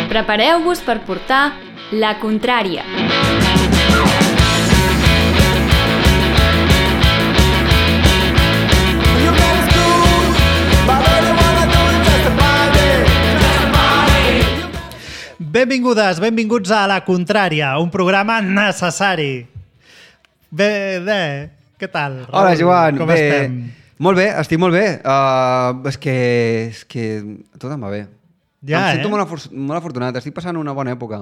Prepareu-vos per portar La Contrària. Benvingudes, benvinguts a La Contrària, un programa necessari. Bé, què tal? Hola, Joan. Com estem? Molt bé, estic molt bé. És que tot em va bé. Ja, em sento molt afortunat, estic passant una bona època.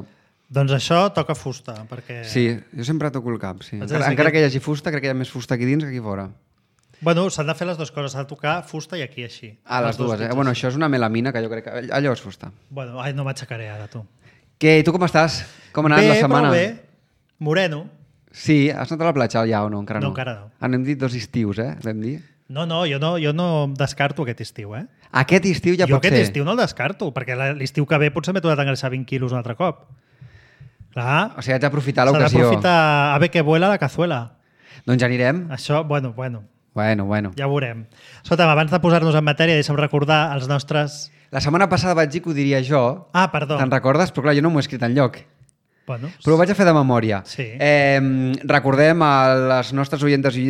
Doncs això toca fusta, perquè... Sí, jo sempre toco el cap, sí. Encara que hi hagi fusta, crec que hi ha més fusta aquí dins que aquí fora. Bueno, s'han de fer les dues coses, s'ha de tocar fusta i aquí així. Les dues, eh? Bueno, això és una melamina, que jo crec que allò és fusta. Bueno, no m'aixecaré ara, tu. Què, tu com estàs? Com ha anat la setmana? Bé, moreno. Sí, has anat a la platja ja o no? Encara no. No, encara no. Hem dit 2 estius, vam dir? No, jo no descarto aquest estiu, eh? Aquest estiu ja pot ser. Jo aquest estiu no el descarto, perquè l'estiu que ve potser m'he tornat a engreixar 20 quilos un altre cop. Clar. O sigui, haig d'aprofitar l'ocasió. S'ha d'aprofitar a ver que vuela la cazuela. Doncs ja anirem. Això, bueno. Bueno. Ja ho veurem. Escolta'm, abans de posar-nos en matèria, deixa'm recordar els nostres... La setmana passada vaig dir que ho diria jo. Ah, perdó. Te'n recordes? Però clar, jo no m'ho he escrit enlloc. Bueno, però ho vaig a fer de memòria. Sí. Recordem a les nostres oientes i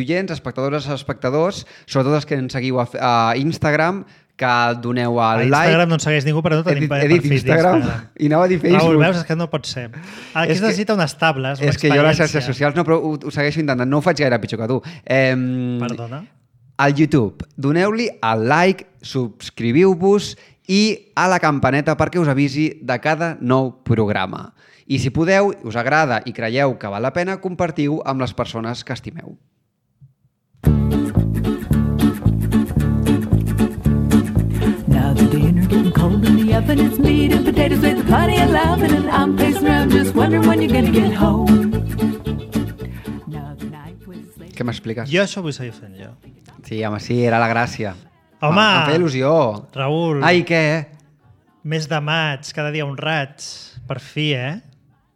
oients, espectadores i espectadors, sobretot els que ens seguiu a Instagram, que doneu el like. A Instagram no ens segueix ningú, però no tenim perfil d'Instagram. I anava a dir Facebook. Raül, veus? És que no pot ser. Aquí es necessita unes tables, una experiència. És que jo a les xarxes socials, no, però ho segueixo intentant. No ho faig gaire pitjor que tu. Perdona? Al YouTube, doneu-li el like, subscriviu-vos i a la campaneta perquè us avisi de cada nou programa. I si podeu, us agrada i creieu que val la pena, compartiu amb les persones que estimeu. Now the dinner getting cold in the oven, it's meat and potatoes with plenty of loving, and I'm pacing around just wondering when you're gonna get home. Què m'expliques? Jo això vull seguir fent jo. Sí, home, sí, era la gràcia. Home! Em feia il·lusió. Raül. Ai, què? Mes de maig, cada dia un raig. Per fi,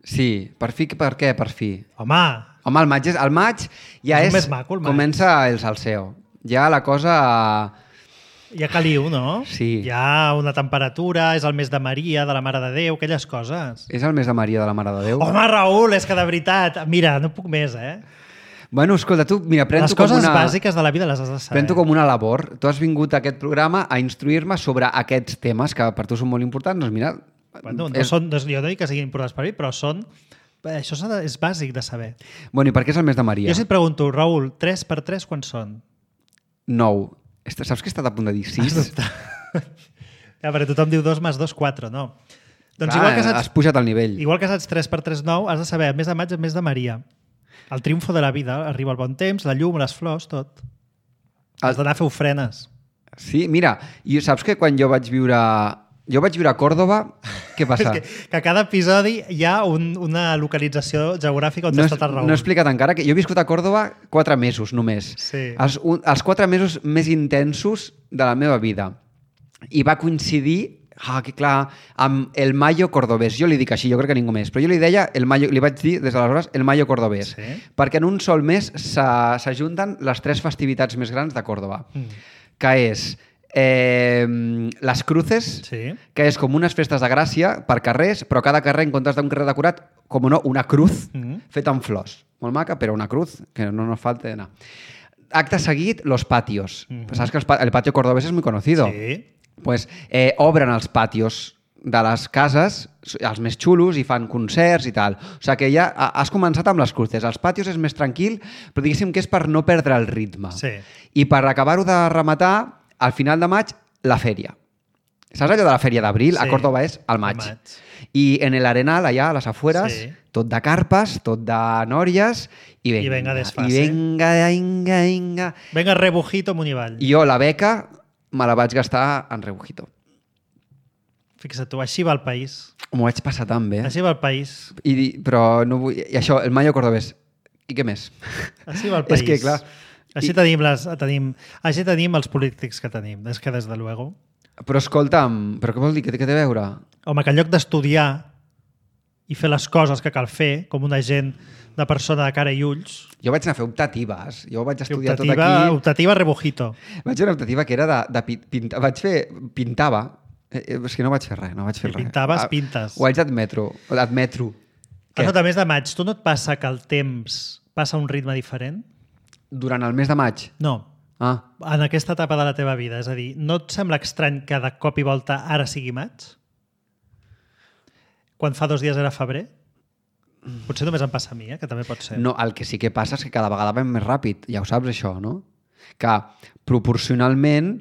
Sí, per fi, per què per fi? Home, el maig ja és més maco, el maig. Comença el salseo. Ja la cosa... Ja caliu, no? Sí. Hi ha una temperatura, és el mes de Maria, de la Mare de Déu, aquelles coses. És el mes de Maria de la Mare de Déu? Home, Raül, és que de veritat... Mira, no puc més, Bueno, escolta, tu, mira, les coses bàsiques de la vida les has de saber. Prento com una labor. Tu has vingut a aquest programa a instruir-me sobre aquests temes que per tu són molt importants. Doncs mira... Bueno, jo no dic que siguin importants per mi, però són... Això és bàsic de saber. Bueno, i per què és el mes de Maria? Jo si et pregunto, Raül, 3 per 3 quants són? 9. Saps que he estat a punt de dir 6? Ja, perquè tothom diu 2 més 2, 4, no. Doncs igual que has pujat el nivell. Igual que saps 3 per 3, 9, has de saber, el mes de maig és el mes de Maria. El triomfo de la vida, arriba el bon temps, la llum, les flors, tot. Has d'anar a fer ofrenes. Sí, mira, i saps que quan jo vaig viure a Còrdova, què passa? que a cada episodi hi ha una localització geogràfica on està el Raül. No he explicat encara que jo he viscut a Còrdova 4 mesos només. Sí. Els 4 mesos més intensos de la meva vida. I va coincidir, que clar, amb el Mayo Cordobés. Jo li dic així, jo crec que ningú més, però jo li deia, li vaig dir des d'aleshores, el Mayo Cordobés. Sí? Perquè en un sol mes s'ajunten les 3 festivitats més grans de Còrdova, que és les Cruces, sí, que és com unes festes de gràcia per carrers, però cada carrer, en comptes d'un carrer decorat, com no, una cruz feta amb flors. Molt maca, però una cruz, que no nos falta d'anar. Acte seguit, los patios. Saps que el patio cordobés és muy conocido? Sí. Pues obren els patios de les cases, els més xulos, i fan concerts i tal. O sigui que ja has començat amb les cruces. Els patios és més tranquil, però diguéssim que és per no perdre el ritme. Sí. I per acabar-ho de rematar, al final de maig, la fèria. Saps allò de la fèria d'abril? Sí. A Còrdova és al maig. I en l'Arenal, allà a les afueres, sí, tot de carpes, tot de nòries, i venga desfase. I venga. Venga rebujito amunt i avall. I jo la beca me la vaig gastar en rebujito. Fixa't tu, així va el país. M'ho vaig passar tan bé. Així va el país. Però no vull... I això, el Mayo Cordobés. I què més? Així va el país. És que, clar... Així tenim els polítics que tenim, és que des de luego. Però escolta'm, però què vol dir? Què té a veure? Home, que en lloc d'estudiar i fer les coses que cal fer, com una gent de persona de cara i ulls... Jo vaig anar a fer optatives. Jo vaig estudiar tot aquí... Optativa rebujito. Vaig fer una optativa que era de pintar. Pintava. És que no vaig fer res, no vaig fer Si res. pintaves, pintes. Ho haig d'admetro. Què? Escolta, mes de maig, tu no et passa que el temps passa a un ritme diferent? Durant el mes de maig? No. Ah, En aquesta etapa de la teva vida. És a dir, no et sembla estrany que de cop i volta ara sigui maig? Quan fa 2 dies era febrer? Potser només em passa a mi, que també pot ser. no, el que sí que passa és que cada vegada vam més ràpid. Ja ho saps, això, no? Que proporcionalment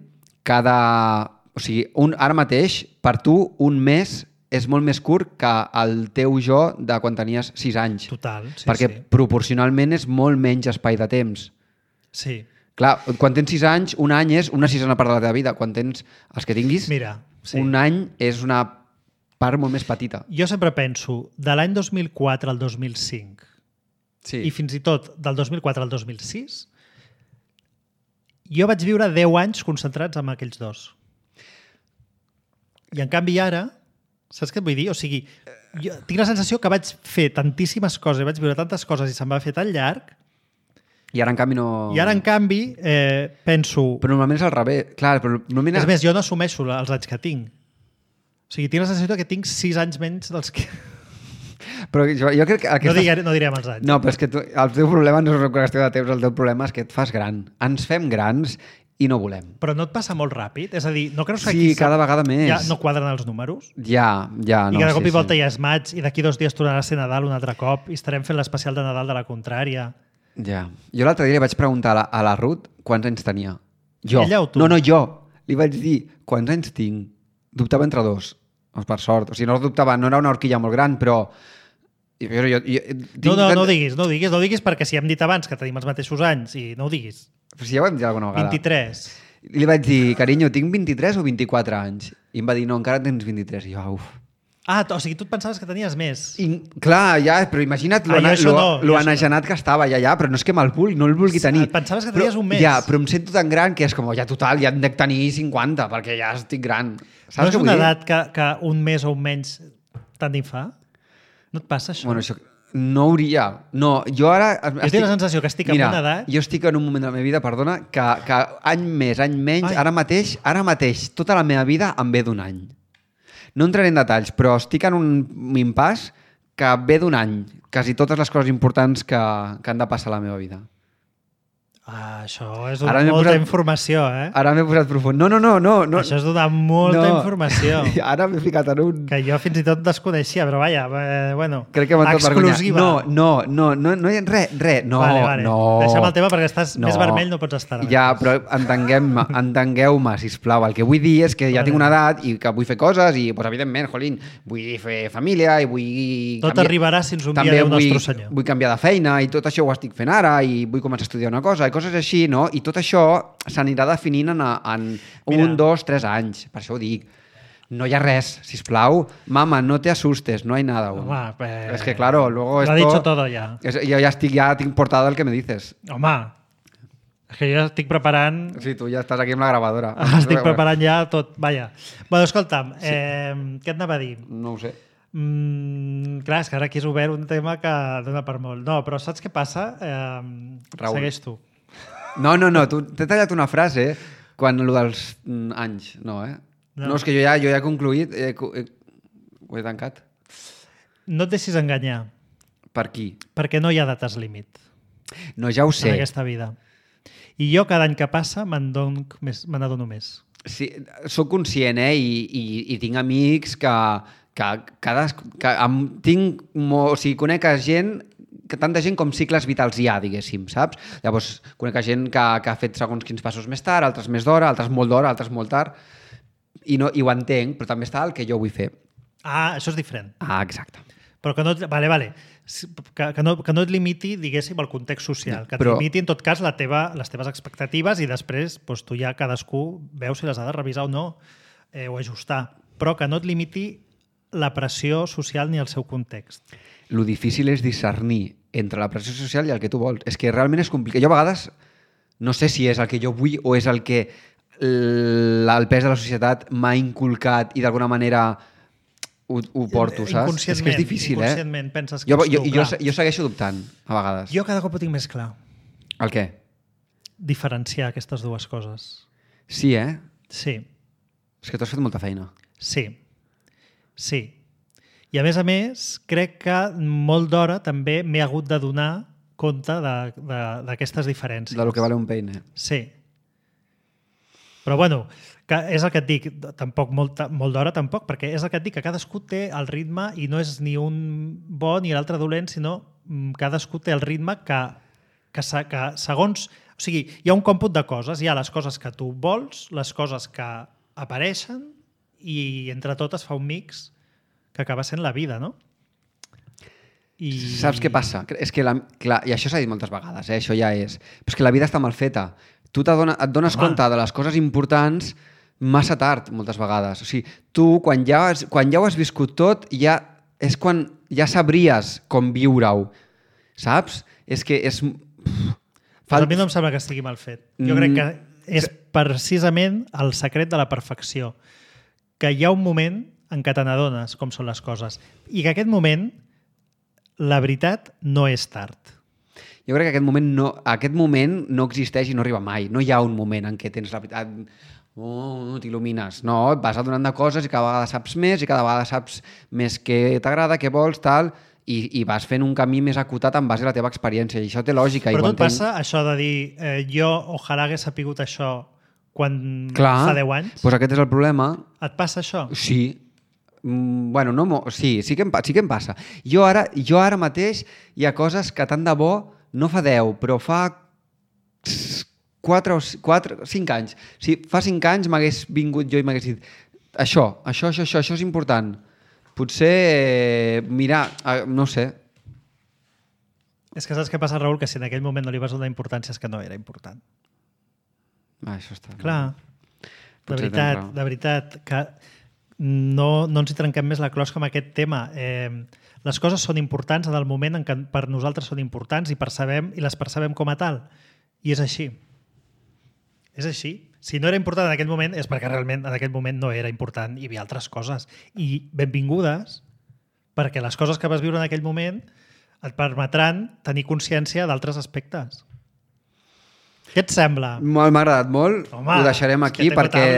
O sigui, ara mateix, per tu, un mes és molt més curt que el teu jo de quan tenies 6 anys. Total, sí, perquè sí. proporcionalment és molt menys espai de temps. Sí. Clar, quan tens 6 anys, un any és una sisena part de la teva vida. Quan tens els que tinguis, Mira, sí. un any és una part molt més petita. Jo sempre penso, de l'any 2004 al 2005 Sí. i fins i tot del 2004 al 2006, jo vaig viure 10 anys concentrats en aquells dos. I en canvi ara, saps què et vull dir? O sigui, jo tinc la sensació que vaig fer tantíssimes coses, vaig viure tantes coses i se'm va fer tan llarg, I ara, en canvi, no... i ara, en canvi, penso... Però normalment és al revés. Clar, però normalment... És més, jo no assumeixo els anys que tinc. O sigui, tinc la sensació que tinc 6 anys menys dels que... Però jo crec que... No direm els anys. No, però és que el teu problema no és una qüestió de temps, el teu problema és que et fas gran. Ens fem grans i no volem. Però no et passa molt ràpid? És a dir, no creus que Sí, cada vegada més. ja no quadren els números? Ja, no. I que de cop i volta ja és maig i d'aquí 2 dies tornarà a ser Nadal un altre cop i estarem fent l'especial de Nadal de la contrària. Ja. Jo l'altre dia li vaig preguntar a la Ruth quants anys tenia. Jo. Ella o tu? No, jo. Li vaig dir quants anys tinc. Dubtava entre 2. Per sort. O sigui, no dubtava, no era una horquilla molt gran, però... No diguis perquè si hem dit abans que tenim els mateixos anys i no ho diguis. Però si ja ho hem dit alguna vegada. 23. Li vaig dir, carinyo, tinc 23 o 24 anys? I em va dir, no, encara tens 23. I jo, uf. Ah, o sigui, tu et pensaves que tenies més. I, clar, ja, però imagina't lo enagenat que estava ja, però no és que me'l vulgui, no el vulgui tenir. Et pensaves que tenies un mes. Ja, però em sento tan gran que és com, ja total, ja hem de tenir 50, perquè ja estic gran. Saps no és què una vull dir? edat que un mes o un menys tant d'hi fa? No et passa això? Bueno, això no hauria... No, jo ara... Jo tinc la sensació que estic en una edat... Jo estic en un moment de la meva vida, perdona, que any més, any menys, ara mateix, tota la meva vida em ve d'un any. No entraré en detalls, però estic en un impàs que ve d'un any. Quasi totes les coses importants que han de passar a la meva vida. Ah, això és donar molta informació, eh? Ara m'he posat profund. No. Això és donar molta informació. Ara m'he ficat en un... Que jo fins i tot desconeixia, però vaja, bueno, crec que m'ha tot vergonya. exclusiva. No hi ha res. No, vale. no. Deixa'm el tema perquè estàs més vermell, no pots estar. Ja, però entengueu-me, sisplau. El que vull dir és que ja tinc una edat i que vull fer coses i, pues, evidentment, jolín, vull fer família i vull... Tot arribarà si ens ho envia Déu Nostre Senyor. Vull canviar de feina i tot això ho estic fent ara i vull començar a estudiar una cosa i coses així, no? I tot això s'anirà definint en 1, 2, 3 anys. Per això ho dic. No hi ha res, sisplau. Mama, no te asustes, no hay nada aún. Home, es que claro, luego lo esto... ha dicho todo ya. Jo ja tinc portada el que me dices. Home, és que jo estic preparant... Sí, tu ja estàs aquí amb la gravadora. Estic preparant ja tot, vaja. Bueno, escolta'm, què et anava a dir? No ho sé. Clar, és que ara aquí és obert un tema que dona per molt. No, però saps què passa? Raül. Segueix tu. No, t'he tallat una frase quan allò dels anys, no, eh? No, és que jo ja he concluït, ho he tancat. No et deixis enganyar. Per qui? Perquè no hi ha dates límit. No, ja ho sé. En aquesta vida. I jo cada any que passa me n'adono més. Sí, soc conscient, i tinc amics conec gent, tanta gent com cicles vitals hi ha, diguéssim, saps? Llavors, conec gent que ha fet segons quins passos més tard, altres més d'hora, altres molt d'hora, altres molt tard, i ho entenc, però també està el que jo vull fer. Ah, això és diferent. Ah, exacte. Però que no... Vale. Que no et limiti, diguéssim, el context social. Que et limiti, en tot cas, les teves expectatives i després doncs, tu ja cadascú veu si les ha de revisar o no o ajustar. Però que no et limiti la pressió social ni el seu context. Lo difícil és discernir entre la pressió social i el que tu vols. És que realment és complicat. Jo a vegades no sé si és el que jo vull o és el que el pes de la societat m'ha inculcat i d'alguna manera ho porto, saps? És que és difícil, inconscientment penses que jo segueixo dubtant, a vegades. Jo cada cop ho tinc més clar. El què? Diferenciar aquestes dues coses. Sí, eh? Sí. És que tu has fet molta feina. Sí. I a més, crec que molt d'hora també m'he hagut de donar compte d'aquestes diferències. De lo que vale un peine. Sí. Però bueno, que és el que et dic, tampoc molt d'hora tampoc, perquè és el que et dic, que cadascú té el ritme i no és ni un bo ni l'altre dolent, sinó cadascú té el ritme que segons... O sigui, hi ha un còmput de coses, hi ha les coses que tu vols, les coses que apareixen i entre totes fa un mix que acaba sent la vida, no? Saps què passa? És que, clar, i això s'ha dit moltes vegades, això ja és... Però és que la vida està mal feta. Tu et dones compte de les coses importants massa tard, moltes vegades. O sigui, tu, quan ja ho has viscut tot, és quan ja sabries com viure-ho. Saps? És que és... Però a mi no em sembla que estigui mal fet. Jo crec que és precisament el secret de la perfecció. Que hi ha un moment en què te n'adones com són les coses. I que aquest moment, la veritat, no és tard. Jo crec que aquest moment no existeix i no arriba mai. No hi ha un moment en què tens la veritat... t'il·lumines. No, et vas adonant de coses i cada vegada saps més i cada vegada saps més què t'agrada, què vols, tal... I vas fent un camí més acotat en base a la teva experiència. I això té lògica. Però no et passa això de dir jo ojalà hagués sapigut això quan fa 10 anys? Doncs aquest és el problema. Et passa això? Sí. Bueno, no, sí que em passa. Jo ara mateix hi ha coses que tant de bo no fa 10, però fa 5 anys. Si fa 5 anys m'hagués vingut jo i m'hagués dit això és important. Potser, mira, no sé. És que saps què passa, Raül? Que si en aquell moment no li vas donar importància és que no era important. Això està... Clar, de veritat, que no ens hi trenquem més la closca amb aquest tema. Les coses són importants en el moment en què per nosaltres són importants i les percebem com a tal. I és així. És així. Si no era important en aquell moment és perquè realment en aquell moment no era important i hi havia altres coses. I benvingudes, perquè les coses que vas viure en aquell moment et permetran tenir consciència d'altres aspectes. Què et sembla? M'ha agradat molt. Home, ho deixarem aquí perquè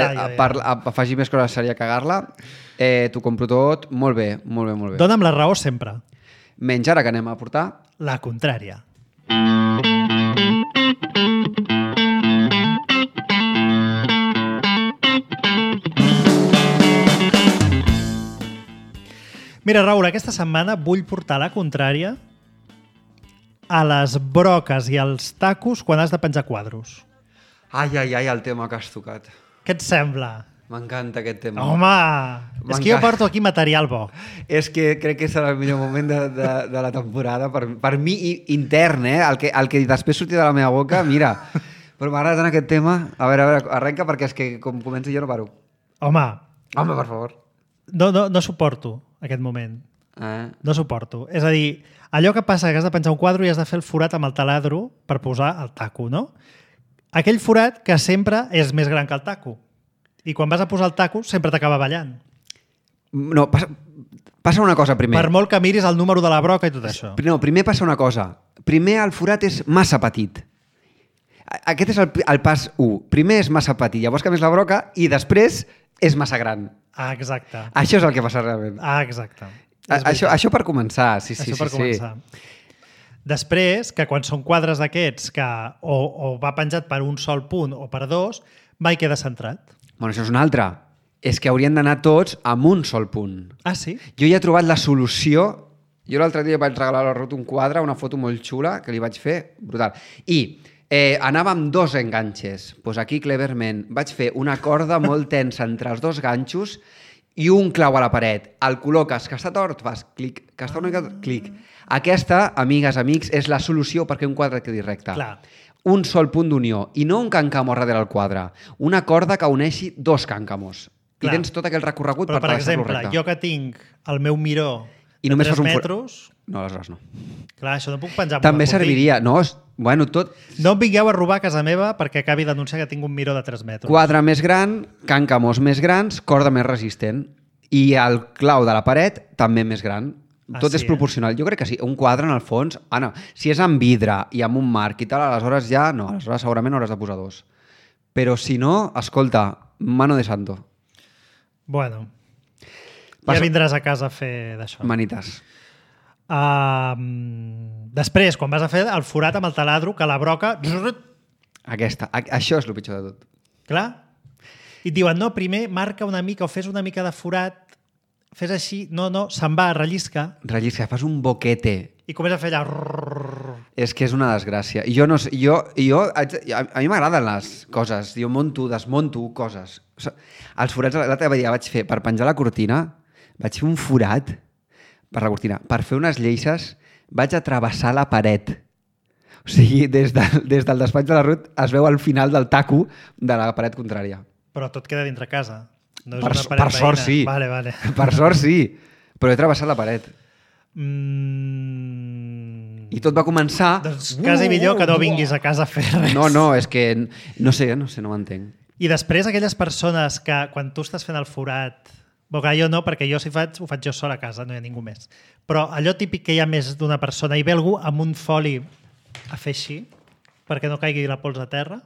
afegir més coses seria cagar-la. T'ho compro tot. Molt bé. Dóna'm la raó sempre. Menys ara que anem a portar... La contrària. Mira, Raül, aquesta setmana vull portar la contrària a les broques i als tacos quan has de penjar quadros. Ai, el tema que has tocat. Què et sembla? M'encanta aquest tema. Home! És que jo porto aquí material bo. És que crec que serà el millor moment de la temporada. Per mi, intern, el que després surti de la meva boca, mira. Però m'agrada tant aquest tema. A veure, arrenca, perquè és que com comenci jo no paro. Home, per favor. No suporto aquest moment. No suporto. És a dir, allò que passa que has de penjar un quadre i has de fer el forat amb el taladro per posar el taco, no? Aquell forat que sempre és més gran que el taco. I quan vas a posar el taco sempre t'acaba ballant. No, passa una cosa primer. Per molt que miris el número de la broca i tot això. No, primer passa una cosa. Primer el forat és massa petit. Aquest és el pas 1. Primer és massa petit, llavors canvies la broca i després és massa gran. Exacte. Això és el que passa realment. Exacte. Això per començar. Sí. Començar. Després, que quan són quadres d'aquests que o va penjat per un sol punt o per dos, mai queda centrat. Bueno, això és una altra. És que haurien d'anar tots amb un sol punt. Ah, sí? Jo ja he trobat la solució. Jo l'altre dia vaig regalar a la Ruth un quadre, una foto molt xula que li vaig fer, brutal. I anava amb 2 enganxes. Doncs aquí, cleverment, vaig fer una corda molt tensa entre els 2 ganxos i un clau a la paret. El col·loques, que està tort, fas clic, que està una mica clic. Aquesta, amigues, amics, és la solució perquè un quadre quedi recte. Clar. Un sol punt d'unió, i no un càncamo darrere del quadre. Una corda que uneixi 2 càncamos. I tens tot aquell recorregut per deixar-lo recte. Però, per exemple, jo que tinc el meu miró i de només 3 metres... No, aleshores no. Clar, això no puc penjar amb també serviria. No, bueno, tot... No em vingueu a robar a casa meva perquè acabi d'anunciar que tinc un miró de 3 metres. Quadre més gran, càncamos més grans, corda més resistent. I el clau de la paret també més gran. Tot és proporcional. Jo crec que sí. Un quadre, en el fons... no. Si és amb vidre i amb un marc i tal, aleshores ja no. Aleshores segurament hauràs de posar 2. Però si no, escolta, mano de santo. Bueno, Ja vindràs a casa a fer d'això. Manites. Després, quan vas a fer el forat amb el taladro, que la broca... Això és el pitjor de tot. Clar. I et diuen, no, primer marca una mica o fes una mica de forat, fes així, no, se'n va, rellisca. Rellisca, fas un boquete. I comença a fer allà... És que és una desgràcia. I jo no sé, a mi m'agraden les coses. Jo desmunto coses. O sigui, els forats, l'altre dia vaig fer, per penjar la cortina, vaig fer un forat per la cortina. Per fer unes lleixes vaig a travessar la paret. O sigui, des del despatx de la Ruth es veu al final del taco de la paret contrària. Però tot queda dintre casa. No és Per una paret sort veïna. sí. Vale. Per sort sí. Però he travessat la paret. I tot va començar... Doncs quasi millor que no vinguis a casa a fer res. No, és que no sé, no m'entenc. I després aquelles persones que quan tu estàs fent el forat... Bé, clar, jo no, perquè jo si ho faig jo sol a casa, no hi ha ningú més. Però allò típic que hi ha més d'una persona i ve algú amb un foli a fer així perquè no caigui la pols a terra.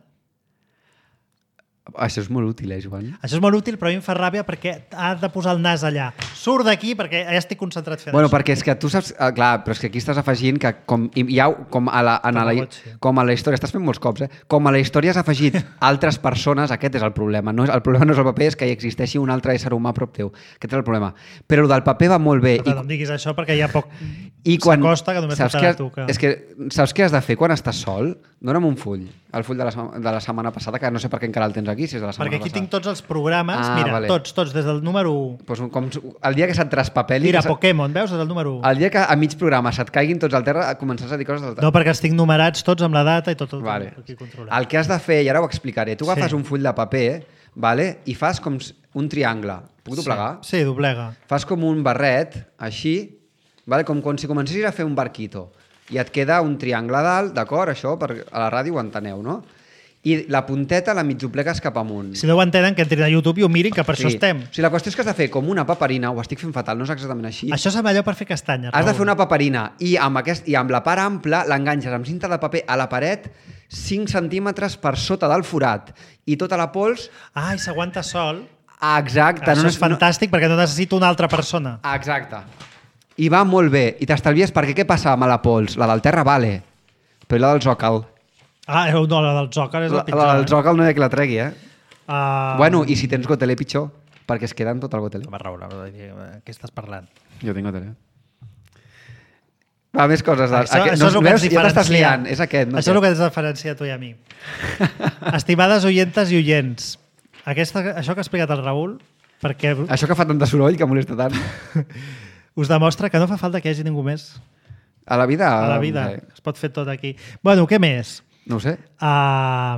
Això és molt útil, Joan? Això és molt útil, però a mi em fa ràbia perquè ha de posar el nas allà. Surt d'aquí perquè ja estic concentrat fent Bueno, això. perquè és que tu saps... Clar, però és que aquí estàs afegint que com a la història... Estàs fent molts cops, Com a la història has afegit altres persones, aquest és el problema. El problema no és el paper, és que hi existeixi un altre ésser humà a prop teu. Aquest és el problema. Però el del paper va molt bé. No em diguis això perquè hi ha poc... S'acosta que només portarà tu. És que saps què has de fer quan estàs sol? Dóna'm un full. El full de la setmana passada, que no sé per què encara el tens aquí, si és de la setmana perquè aquí passada. tinc tots els programes, mira, vale. tots, des del número 1. Pues com el dia que se't traspapeli... Mira, Pokémon, veus? Des del número 1. El dia que a mig programa se't caiguin tots al terra, començaràs a dir coses del terra. No, perquè els tinc numerats tots amb la data i tot Vale. aquí controlat. El que has de fer, i ara ho explicaré, tu agafes un full de paper, vale? I fas com un triangle. Puc doblegar? Sí, doblega. Fas com un barret, així, vale? Com si comencessis a fer un barquito. I et queda un triangle a dalt, d'acord? Això a la ràdio ho enteneu, no? I la punteta la mig doblegues cap amunt. Si no ho entenen, que entrin a YouTube i ho mirin, que per això estem. O sigui, la qüestió és que has de fer com una paperina, ho estic fent fatal, no és exactament així. Això sembla allò per fer castanyes. Has de fer una paperina i amb la part ampla l'enganxes amb cinta de paper a la paret 5 centímetres per sota del forat i tota la pols... Ah, i s'aguanta sol. Exacte. Això és fantàstic perquè no necessito una altra persona. Exacte. I va molt bé. I t'estalvies perquè què passa amb la pols? La del terra vale, però la del zòcal... Ah, no, la del zòcal és la pitjor. La del zòcal no hi ha que la tregui, Bueno, i si tens gotelé pitjor, perquè es queda en tot el gotelé. Va raure, què estàs parlant? Jo tinc gotelé. Va, més coses. Això és el que ens diferencia. Ja t'estàs liant, és aquest. Això és el que ens diferencia a tu i a mi. Estimades oyentes i oients, això que ha explicat el Raül, perquè... Això que fa tant de soroll, que molesta tant. Us demostra que no fa falta que hi hagi ningú més. A la vida? A la vida. Es pot fer tot aquí. Bueno, què més? No ho sé. Ja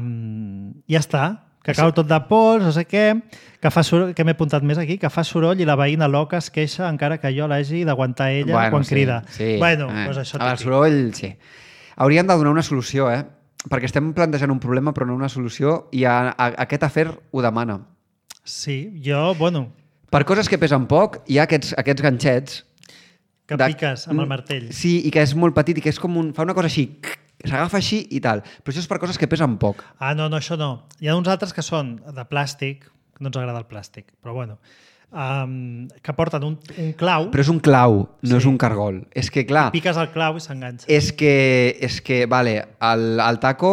està. Que cau tot de pols, no sé què, que fa soroll, que m'he apuntat més aquí, que fa soroll i la veïna loca es queixa encara que jo l'hagi d'aguantar ella quan crida. Sí. Bueno, doncs això el soroll, sí. Hauríem de donar una solució, perquè estem plantejant un problema però no una solució i aquest afer ho demana. Sí, jo, bueno... Per coses que pesen poc, hi ha aquests ganxets... Que piques amb el martell. Sí, i que és molt petit i que és com fa una cosa així... S'agafa així i tal. Però això és per coses que pesen poc. Ah, no, això no. Hi ha uns altres que són de plàstic, no ens agrada el plàstic, però bueno, que porten un clau. Però és un clau, no és un cargol. És que, clar... Piques el clau i s'enganxa. És que vale, el taco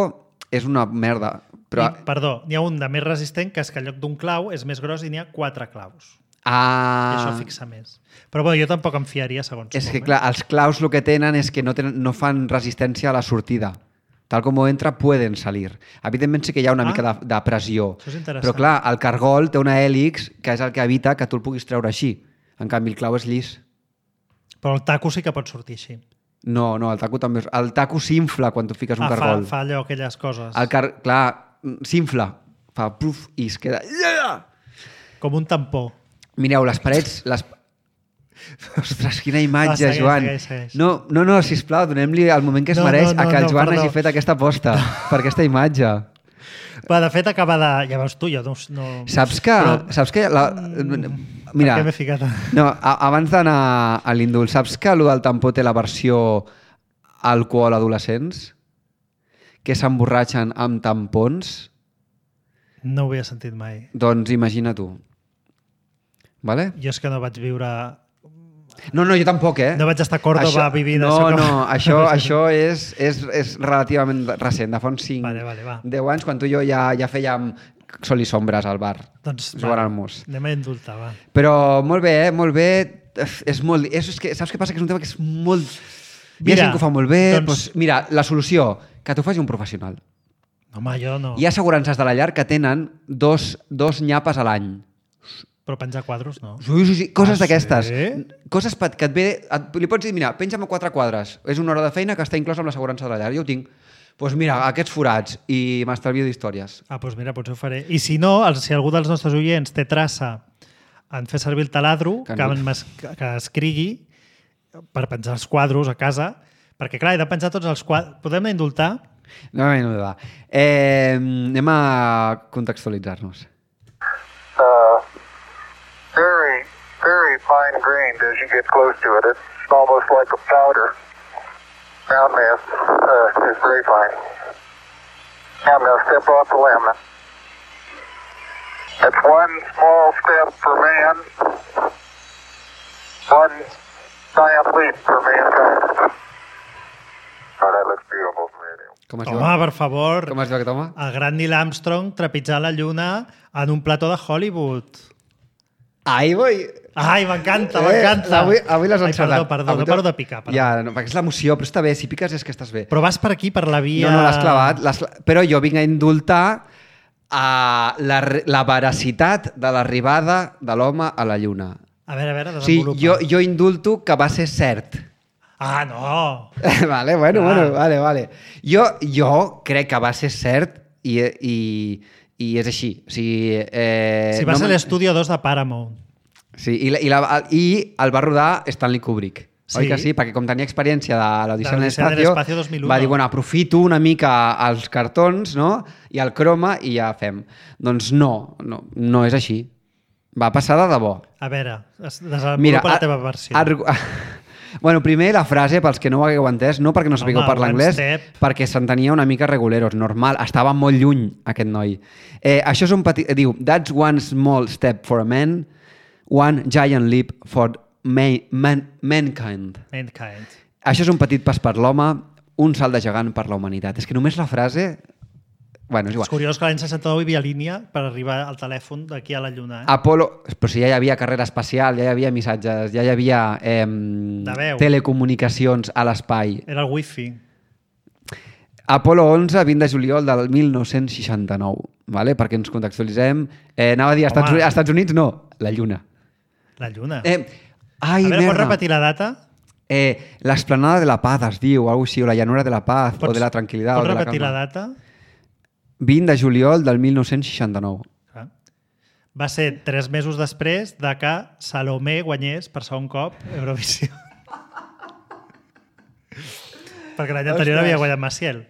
és una merda. Però... Perdó, n'hi ha un de més resistent que és que en lloc d'un clau és més gros i n'hi ha 4 claus. I això fixa més. Però bueno, jo tampoc em fiaria segons És que clar, els claus el que tenen és que no fan resistència a la sortida. Tal com entra, poden salir. Evidentment sí que hi ha una mica de pressió. Això és interessant. Però clar, el cargol té una hèlix que és el que evita que tu el puguis treure així. En canvi, el clau és llis. Però el taco sí que pot sortir així. No, el taco també... El taco s'infla quan tu fiques un cargol. Fa allò, aquelles coses. Clar, s'infla. Fa puf i es queda... Com un tampó. Mireu, les parets... Ostres, quina imatge, segueix, Joan. segueix. No, sisplau, donem-li el moment que es mereix a que el Joan hagi fet aquesta aposta per aquesta imatge. Va, de fet, acaba de... Ja veus tu, jo no... Saps que... Mira, per què m'he ficat? No, abans d'anar a l'indult, saps que allò del tampó té la versió alcohol adolescents? Que s'emborratxen amb tampons? No ho havia sentit mai. Doncs imagina tu. Vale? Jo és que no vaig viure... No, jo tampoc, No vaig estar a Còrdoba vivint això. Això és relativament recent, de fa uns 10 anys, quan tu i jo ja fèiem sol i sombres al bar, jugant al mus. Anem a indultar, va. Però molt bé, molt bé. És que, saps què passa? Que és un tema que és molt... Hi ha gent que ho fa molt bé. Doncs, mira, la solució, que t'ho faci un professional. Home, jo no. Hi ha assegurances de la llar que tenen dos nyapes a l'any. Però penjar quadros, no? Sí. Coses d'aquestes. Sí? Coses que et ve... Li pots dir, mira, penja'm a 4 quadres. És una hora de feina que està inclosa amb l'assegurança de la llar. Jo ho tinc. Doncs mira, aquests forats. I m'estalvio d'històries. Doncs mira, potser ho faré. I si no, si algú dels nostres oients té traça en fer servir el taladro, que escrigui per penjar els quadros a casa, perquè clar, he de penjar tots els quadros. Podem indultar? No, anem a contextualitzar-nos. Very, very fine grained as you get close to it. It's almost like a powder. Ground mass is very fine. Now I'm going to step off the laminate. That's one small step for man, one giant leap for mankind. Oh, that looks beautiful from here. Home, per favor. Com es diu aquest home? El gran Neil Armstrong trepitjant la lluna en un plató de Hollywood. Ai, m'encanta. Avui l'has encertat. Perdó, no paro de picar. Ja, perquè és l'emoció, però està bé. Si piques és que estàs bé. Però vas per aquí, per la via... No, l'has clavat. Però jo vinc a indultar la veracitat de l'arribada de l'home a la lluna. A veure, desenvolupa. Sí, jo indulto que va ser cert. Ah, no! Vale. Jo crec que va ser cert i és així. O sigui, va ser l'Estudio 2 de Paramount. Sí, i el va rodar Stanley Kubrick. Sí. Oi que sí? Perquè com tenia experiència de l'Odissea en l'Espacio, 2001, va dir, bueno, aprofito una mica els cartons, no? I el croma i ja fem. Doncs no és així. Va passar de debò. A veure, desenvolupa la teva versió. Bueno, primer la frase, pels que no ho hagueu entès, no perquè no sapigueu parlar anglès, perquè s'entenia una mica reguleros, normal, estava molt lluny aquest noi. Això és un petit... Diu, that's one small step for a man, one giant leap for mankind. Això és un petit pas per l'home, un salt de gegant per la humanitat. És que només la frase... Bueno, és igual. És curiós que l'any 69 hi havia línia per arribar al telèfon d'aquí a la Lluna. Apolo... Però si ja hi havia carrera espacial, ja hi havia missatges, ja hi havia telecomunicacions a l'espai. Era el wifi. Apolo 11, 20 de juliol del 1969, vale? Perquè ens contextualitzem. Anava a dir Estats Units, no, la Lluna. La Lluna. A veure, pots repetir la data? L'esplanada de la paz es diu, o alguna cosa així, o la llanura de la paz, o de la tranquil·litat. Pots repetir la data? 20 de juliol del 1969. Va ser 3 mesos després de que Salomé guanyés per segon cop Eurovisió. Perquè l'any anterior havia guanyat Maciel.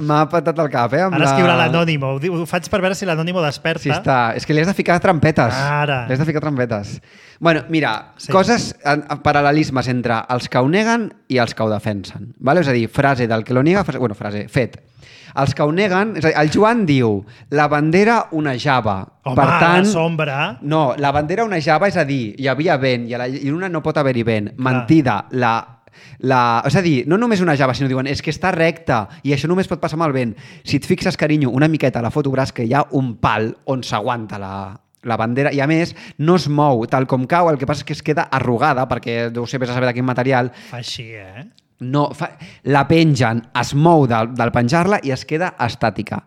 M'ha patat el cap, Ara escriurà l'Anònimo. Ho faig per veure si l'Anònimo desperta. Sí, està. És que li has de ficar trampetes. Ara. Li has de ficar trampetes. Bueno, mira, coses, paral·lelismes entre els que ho neguen i els que ho defensen. Vale? És a dir, frase del que lo niega, fet. Els que ho neguen, és a dir, el Joan diu la bandera onejava. Home, per tant, la sombra. No, la bandera onejava, és a dir, hi havia vent i a la lluna no pot haver-hi vent. Mentida. És a dir, no només onejava, sinó diuen és que està recta i això només pot passar amb el vent. Si et fixes, carinyo, una miqueta a la foto veuràs que hi ha un pal on s'aguanta la bandera i a més no es mou tal com cau, el que passa és que es queda arrugada perquè no sé, vés a saber de quin material. Fa així, No, la pengen, es mou del penjar-la i es queda estàtica.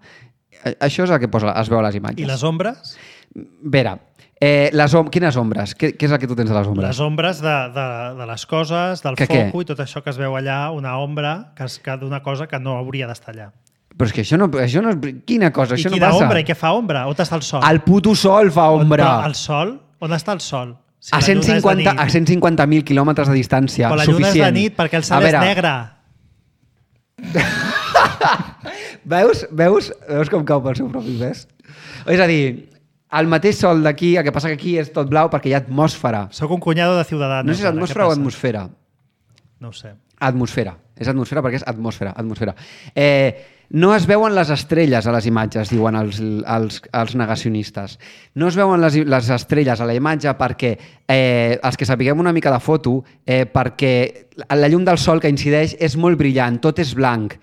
Això és el que es veu a les imatges. I les ombres? Vera, quines ombres? Què és el que tu tens de les ombres? Les ombres de les coses, del foco i tot això que es veu allà, una ombra d'una cosa que no hauria d'estar allà. Però és que això no és... Quina cosa? Això no passa. I quina ombra? I què fa ombra? On està el sol? El puto sol fa ombra. El sol? On està el sol? Si a 150.000 quilòmetres de distància, però la suficient. lluna és de nit perquè el cel és negre. Veus com cau pel seu propi pes? És a dir, el mateix sol d'aquí, el que passa que aquí és tot blau perquè hi ha atmosfera. Soc un cunyado de Ciudadanos. No sé si és atmosfera o atmosfera. No ho sé. Atmosfera. És atmosfera perquè és atmosfera. No es veuen les estrelles a les imatges, diuen els negacionistes. No es veuen les estrelles a la imatge perquè, els que sapiguem una mica de foto, perquè la llum del sol que incideix és molt brillant, tot és blanc.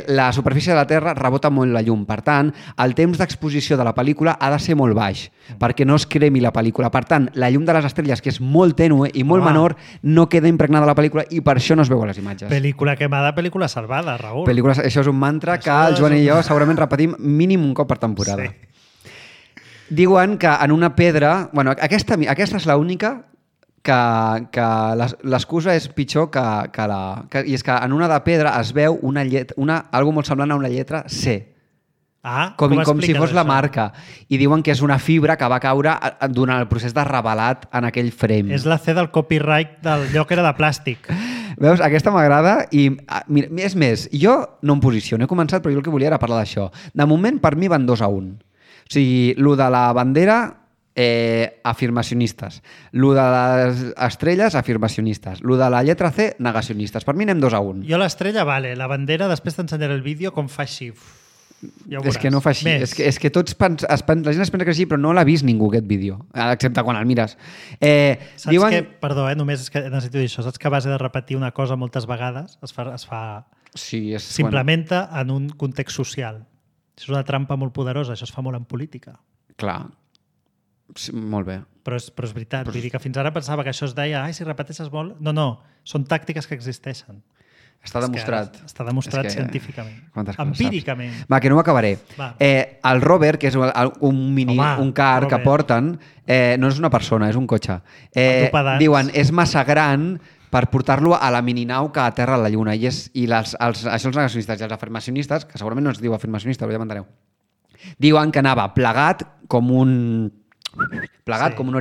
La superfície de la Terra rebota molt la llum. Per tant, el temps d'exposició de la pel·lícula ha de ser molt baix, perquè no es cremi la pel·lícula. Per tant, la llum de les estrelles, que és molt tènue i molt menor, no queda impregnada a la pel·lícula i per això no es veu a les imatges. Pel·lícula quemada, pel·lícula salvada, Raül. Això és un mantra que el Joan i jo segurament repetim mínim un cop per temporada. Sí. Diuen que en una pedra... Bueno, aquesta és l'única que l'excusa és pitjor que la... I és que en una de pedra es veu algo molt semblant a una lletra C. Com si fos la marca. I diuen que és una fibra que va caure durant el procés de revelat en aquell frame. És la C del copyright del lloc era de plàstic. Veus? Aquesta m'agrada i, mira, és més, jo no em posiciono, he començat, però jo el que volia era parlar d'això. De moment, per mi van 2-1. O sigui, lo de la bandera, afirmacionistes. Lo de les estrelles, afirmacionistes. Lo de la lletra C, negacionistes. Per mi anem 2-1. Jo l'estrella, vale. La bandera, després t'ensenyaré el vídeo com fa així. Ja és que no fa així. És que tots la gent es pensa que sí, però no l'ha vist ningú aquest vídeo, excepte quan el mires. Saps que, perdó, només és que necessito dir això, saps que a base de repetir una cosa moltes vegades es fa s'implementa en un context social. És una trampa molt poderosa, això es fa molt en política. Clar, sí, molt bé. Però és veritat, vull dir que fins ara pensava que això es deia si repeteixes molt... No, són tàctiques que existeixen. Està demostrat. Està demostrat científicament. Empíricament. Va, que no ho acabaré. El rover, que és un car que porten, no és una persona, és un cotxe. Diuen, és massa gran per portar-lo a la mininau que aterra a la Lluna. I això els negacionistes i els afirmacionistes, que segurament no es diu afirmacionista, però ja m'enteneu, diuen que anava plegat com un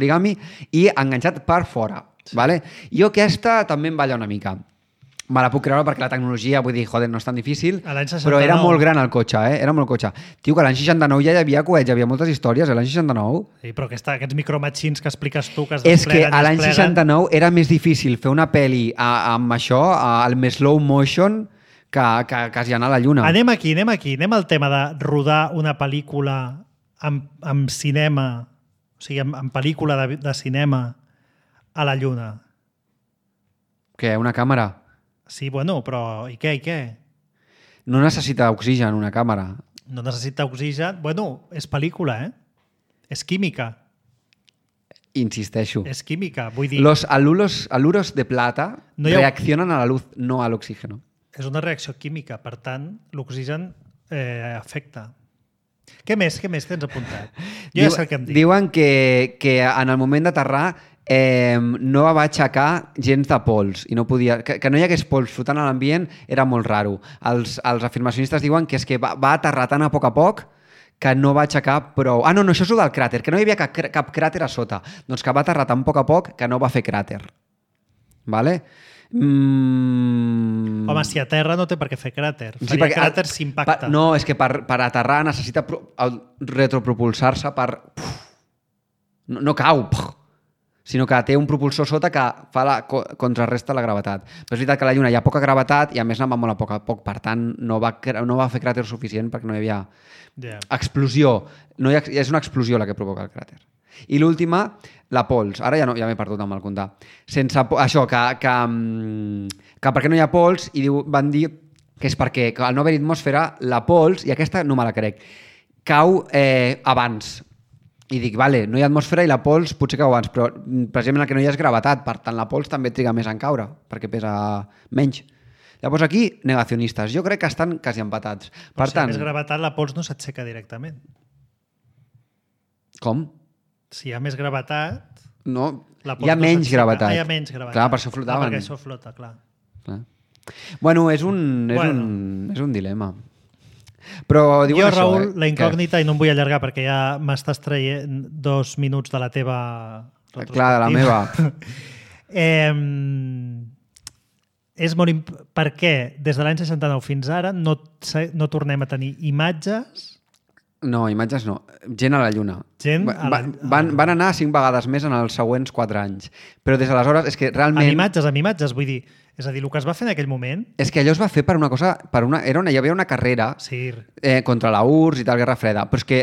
origami i enganxat per fora. Vale? Jo aquesta també em balla una mica. Me la puc creure perquè la tecnologia, vull dir, joder, no és tan difícil, però era molt gran el cotxe, era molt cotxe. Tio, que l'any 69 ja hi havia coets, hi havia moltes històries, l'any 69. Sí, però aquests micromatxins que expliques tu, que es despleguen... És que a l'any 69 era més difícil fer una pel·li amb això, al més slow motion, que quasi anar a la Lluna. Anem al tema de rodar una pel·lícula amb cinema, o sigui, amb pel·lícula de cinema a la Lluna. Què, una càmera? Sí, bueno, però i què? No necessita oxigen una càmera. No necessita oxigen. Bueno, és pel·lícula, És química. Insisteixo. És química, vull dir... Los aluros de plata reaccionan a la luz, no al oxígeno. És una reacció química, per tant, l'oxigen afecta. Què més tens apuntat? Jo ja sé el que em dic. Diuen que en el moment d'aterrar no va aixecar gens de pols i no podia, que no hi hagués pols flotant a l'ambient era molt raro. Els afirmacionistes diuen que és que va aterrar tan a poc que no va aixecar prou... no, això és el del cràter, que no hi havia cap cràter a sota. Doncs que va aterrar tan a poc que no va fer cràter. Vale? Home, si aterra no té per què fer cràter. Faria cràter s'impacta. No, és que per aterrar necessita retropropulsar-se per... No cau, sinó que té un propulsor sota que contrarresta la gravetat. Però és veritat que a la Lluna hi ha poca gravetat i a més anava molt a poc. Per tant, no va fer cràter suficient perquè no hi havia explosió. És una explosió la que provoca el cràter. I l'última, la pols. Ara ja m'he perdut amb el comptar. Això, que per què no hi ha pols, i van dir que és perquè al no haver atmosfera, la pols, i aquesta no me la crec, cau abans. I dic, vale, no hi ha atmosfera i la pols potser cau abans, però precisament el que no hi ha és gravetat, per tant la pols també triga més en caure, perquè pesa menys. Llavors aquí, negacionistes. Jo crec que estan quasi empatats. Però si hi ha més gravetat, la pols no s'aixeca directament. Com? Si hi ha més gravetat... No, hi ha menys gravetat. Hi ha menys gravetat. Clar, per això flotaven. Perquè això flota, clar. Bueno, és un dilema. Però diuen jo, això, Raül, la incògnita, i no em vull allargar perquè ja m'estàs traient 2 minuts de la teva retrospectiva. Clar, de la meva. És molt per què des de l'any 69 fins ara no tornem a tenir imatges No, imatges no. Gent a la Lluna. Van anar 5 vegades més en els següents 4 anys. Però des d'aleshores és que realment... Amb imatges, vull dir... És a dir, el que es va fer en aquell moment... És que allò es va fer per una cosa... Hi havia una carrera contra la URSS i tal, Guerra Freda, però és que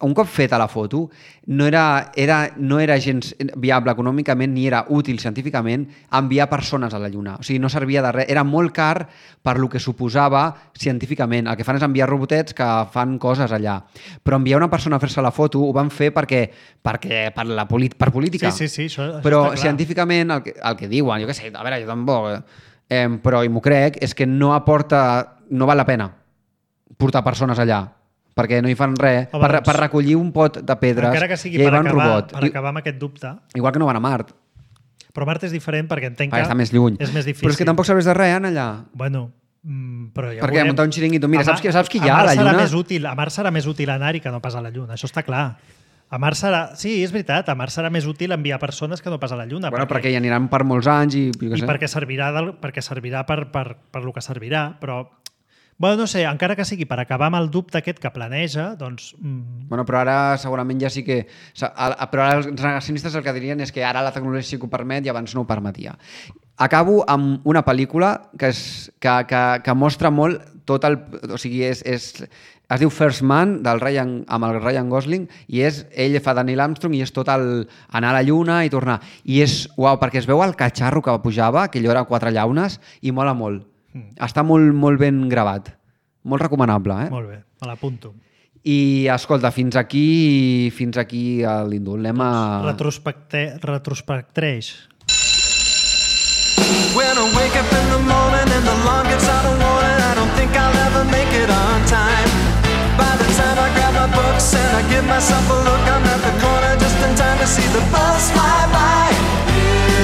un cop feta la foto no era gens viable econòmicament ni era útil científicament enviar persones a la Lluna. O sigui, no servia de res. Era molt car per lo que suposava científicament. El que fan és enviar robotets que fan coses allà. Però enviar una persona a fer-se la foto ho van fer per política. Sí, això però està clar. Científicament el que diuen, jo què sé, a veure, jo tampoc... però m'ho crec, és que no val la pena portar persones allà perquè no hi fan res, per recollir un pot de pedres, encara que sigui ja hi va un robot. Per acabar amb aquest dubte. Igual que no van a Mart. Però Mart és diferent perquè entenc que està més lluny. És més difícil. Però és que tampoc serveix de res, allà. Bueno, però ja perquè muntar un xiringuito... Mira, saps qui hi ha a la Lluna? A Mart serà més útil anar-hi que no pas a la Lluna, això està clar. A Mart serà... Sí, és veritat, a Mart serà més útil enviar persones que no pas a la Lluna. Bueno, perquè hi aniran per molts anys i perquè servirà per lo que servirà, però... Bueno, no sé, encara que sigui per acabar amb el dubte aquest que planeja, doncs... Bueno, però ara segurament ja sí que... Però ara els negacionistes el que dirien és que ara la tecnologia sí que ho permet i abans no ho permetia. Acabo amb una pel·lícula que mostra molt tot el... O sigui, es diu First Man, amb el Ryan Gosling, i ell fa de Neil Armstrong i és tot anar a la Lluna i tornar. I és, uau, perquè es veu el catxarro que pujava, que allò era 4 llaunes, i mola molt. Està molt, molt ben gravat. Molt recomanable, Molt bé, me l'apunto. I, escolta, fins aquí l'indult. Anem a... Retrospectreix. When I wake up in the morning and the alarm gets out of warning, I don't think I'll ever make it on time. By the time I grab my books and I give myself a look, I'm at the corner just in time to see the bus fly by.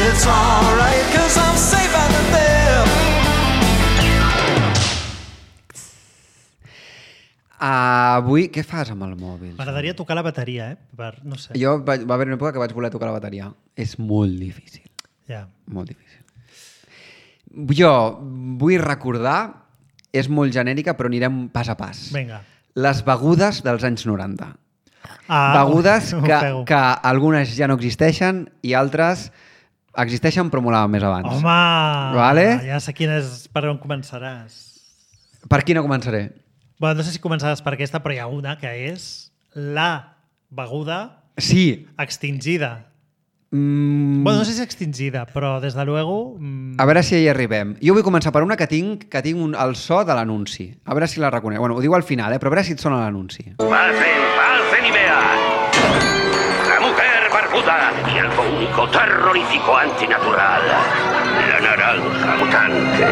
It's alright, 'cause I'm safe out there. Avui, què fas amb el mòbil? M'agradaria tocar la bateria, no sé. Jo va haver una època que vaig voler tocar la bateria. És molt difícil. Ja. Molt difícil. Jo vull recordar, és molt genèrica, però anirem pas a pas. Vinga. Les begudes dels anys 90. Begudes que algunes ja no existeixen i altres existeixen però molaven més abans. Home! Vale? Ja sé per on començaràs. Per quina començaré? Bueno, no sé si començaràs per aquesta, però hi ha una que és la beguda extingida. Bueno, no sé si extingida, però des de luego... A veure si hi arribem. Jo vull començar per una que tinc el so de l'anunci. A veure si la reconec. Bueno, ho diu al final, però a veure si et sona l'anunci. Pasen y vean. La mujer barbuda y algo único, terrorífico, antinatural. La naranja mutante.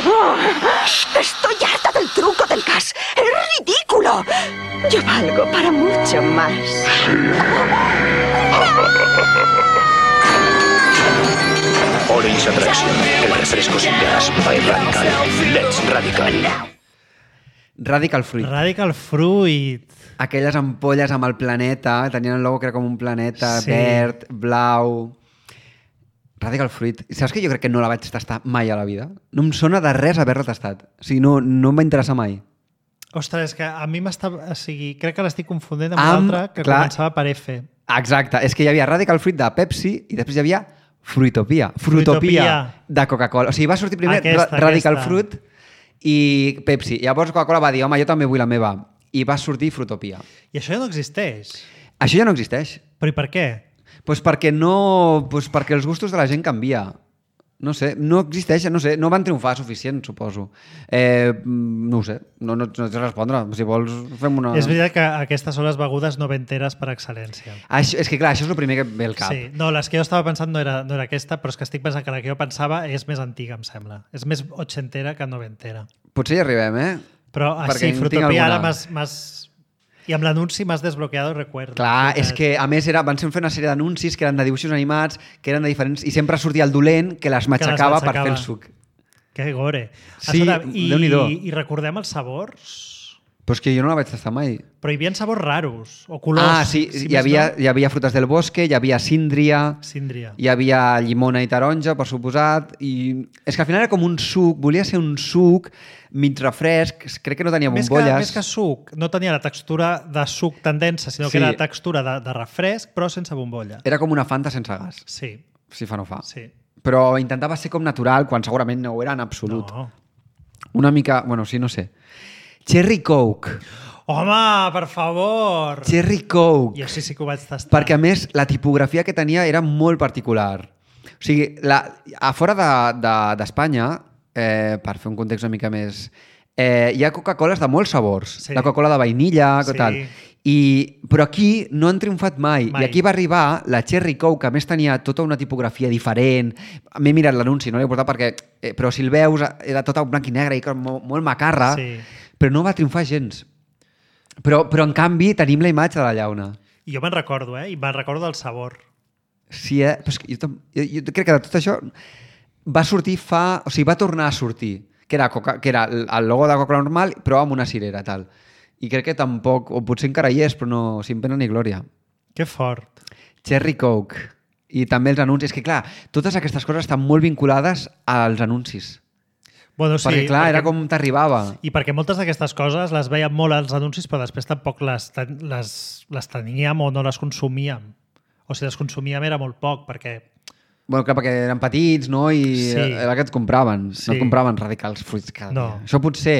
Oh, estoy harta del truco del gas. ¡Es ridículo! Yo valgo para mucho más. Orange Attraction, el refresco sin gas by Radical. Let's Radical. Radical Fruit. Radical Fruit. Aquelles ampolles amb el planeta, tenien el logo que era com un planeta verd, blau... Radical Fruit. Saps que jo crec que no la vaig tastar mai a la vida? No em sona de res haver-la tastat. O sigui, no em va interessar mai. Ostres, és que a mi crec que l'estic confondent amb l'altra que començava per F. Exacte. És que hi havia Radical Fruit de Pepsi i després hi havia Fruitopia de Coca-Cola. O sigui, va sortir primer Radical Fruit i Pepsi. Llavors Coca-Cola va dir, home, jo també vull la meva. I va sortir Fruitopia. I això ja no existeix. Això ja no existeix. Però i per què? Perquè els gustos de la gent canvia. No sé, no existeix, no sé, no van triomfar suficient, suposo. No ho sé, no et sé respondre. Si vols, fem una... És veritat que aquestes són les begudes noventeres per excel·lència. És que clar, això és el primer que ve al cap. Sí, no, les que jo estava pensant no era aquesta, però és que estic pensant que la que jo pensava és més antiga, em sembla. És més ochentera que noventera. Potser hi arribem, Però sí, Fruitopia ara m'has... I amb l'anunci m'has desbloqueado el recuerdo. Clar, és que a més van fer una sèrie d'anuncis que eren de dibuixos animats, que eren de diferents... I sempre sortia el dolent que les matxacava per fer el suc. Que gore. Sí, Déu-n'hi-do. I recordem els sabors? Però és que jo no la vaig tastar mai. Però hi havia sabors raros, o colors. Sí, hi havia frutes del bosque, hi havia síndria, hi havia llimona i taronja, per suposat, i és que al final era com un suc, volia ser un suc mig refresc, crec que no tenia bombolles. Més que suc, no tenia la textura de suc tan densa, sinó que era la textura de refresc, però sense bombolla. Era com una Fanta sense gas. Sí. Si fa no fa. Sí. Però intentava ser com natural, quan segurament no ho era en absolut. No. Una mica... Bueno, sí, no sé. Cherry Coke. Home, per favor! Cherry Coke. Jo sí que ho vaig tastar. Perquè, a més, la tipografia que tenia era molt particular. O sigui, a fora d'Espanya, per fer un context una mica més... hi ha Coca-Coles de molts sabors. Sí. La Coca-Cola de vainilla, tal. Però aquí no han triomfat mai. I aquí va arribar la Cherry Coke, que a més tenia tota una tipografia diferent. M'he mirat l'anunci, no l'he portat perquè... Però si el veus, era tota blanc i negre i molt macarra. Sí. Però no va triomfar gens. Però en canvi tenim la imatge de la llauna. I jo me'n recordo, I me'n recordo del sabor. Sí, Però és que jo crec que de tot això va sortir O sigui, va tornar a sortir. Que era el logo de Coca normal, però amb una cirera, tal. I crec que tampoc... O potser encara hi és, però no, sin pena ni glòria. Que fort. Cherry Coke. I també els anuncis. És que, clar, totes aquestes coses estan molt vinculades als anuncis. Bueno, sí, perquè, clar, era com t'arribava. I perquè moltes d'aquestes coses les veiem molt als anuncis, però després tampoc les teníem o no les consumíem. O si les consumíem era molt poc, perquè... Bueno, clar, perquè eren petits, no? I era que et compraven. Sí. No et compraven radicals fruits cada dia. Això potser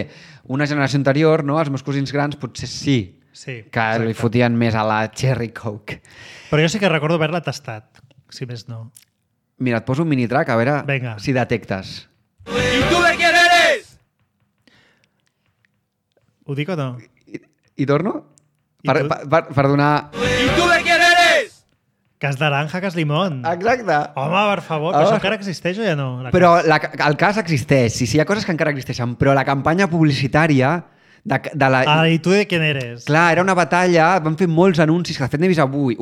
una generació anterior, no? Els meus cosins grans, potser sí que li fotien més a la Cherry Coke. Però jo sí que recordo haver-la tastat, si més no. Mira, et poso un mini-track a veure si detectes. ¿Y tú de quién eres? Ho dic o no? I torno? Per donar... ¿Y tú de quién eres? Cas naranja, cas limón. Exacte. Home, per favor, però això encara existeix o ja no? Però el cas existeix. Sí, hi ha coses que encara existeixen, però la campanya publicitària de la... I tu de quién eres? Clar, era una batalla, van fer molts anuncis, que de fet n'he vist avui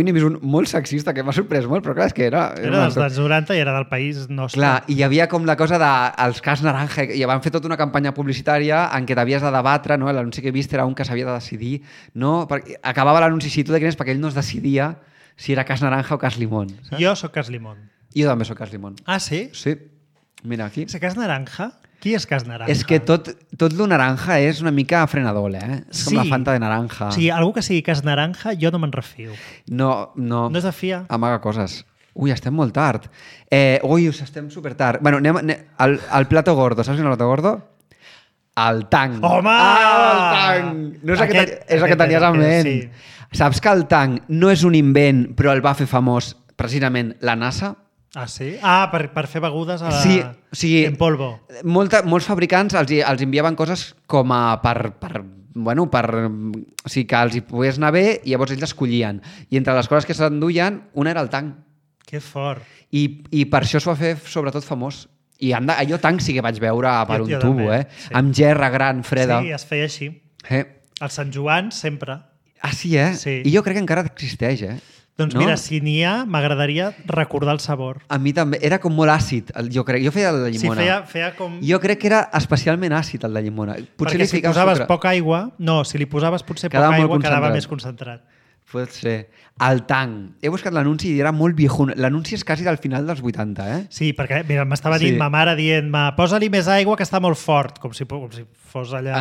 n'he vist un molt sexista que m'ha sorprès molt, però clar, és que era dels anys 90 i era del país nostre. Clar, i hi havia com la cosa dels cas naranja, i van fer tota una campanya publicitària en què t'havies de debatre, no? L'anunci que he vist era un que s'havia de decidir, no? Perquè acabava l'anunci si tu de quin és, perquè ell no es decidia si era cas naranja o cas limón. Saps? Jo sóc cas limón. Jo també sóc cas limón. Ah, sí? Sí. Mira, aquí. És cas naranja? Qui és cas naranja? És que tot lo naranja és una mica frenador, És com la Fanta de naranja. Sí, algú que sigui cas naranja, jo no me'n refio. No. No és de fiar. Amaga coses. Ui, estem molt tard. Estem supertard. Bueno, anem al plato gordo. Saps quin és el plato gordo? El tang. Home! El tang! No és el que tenies en ment. Sí. Saps que el tang no és un invent, però el va fer famós precisament la NASA? Ah, sí? Ah, per fer begudes en polvo. Molts fabricants els enviaven coses com a o sigui, que els hi pogués anar bé i llavors ells escollien. I entre les coses que s'enduien, una era el tang. Que fort. I per això es va fer sobretot famós. I allò tang sí que vaig veure per un tubo, sí. Amb gerra gran, freda. Sí, es feia així. El Sant Joan sempre. Ah, sí, Sí. I jo crec que encara existeix, Doncs mira, si n'hi ha, m'agradaria recordar el sabor. A mi també. Era com molt àcid, jo crec. Jo feia el de llimona. Sí, feia com... Jo crec que era especialment àcid, el de llimona. Perquè si posaves poca aigua... No, si li posaves potser poca aigua, quedava més concentrat. Pot ser. El tang. He buscat l'anunci i era molt viejun. L'anunci és quasi del final dels 80, Sí, perquè mira, m'estava dient ma mare dient-me posa-li més aigua que està molt fort, com si fos allà...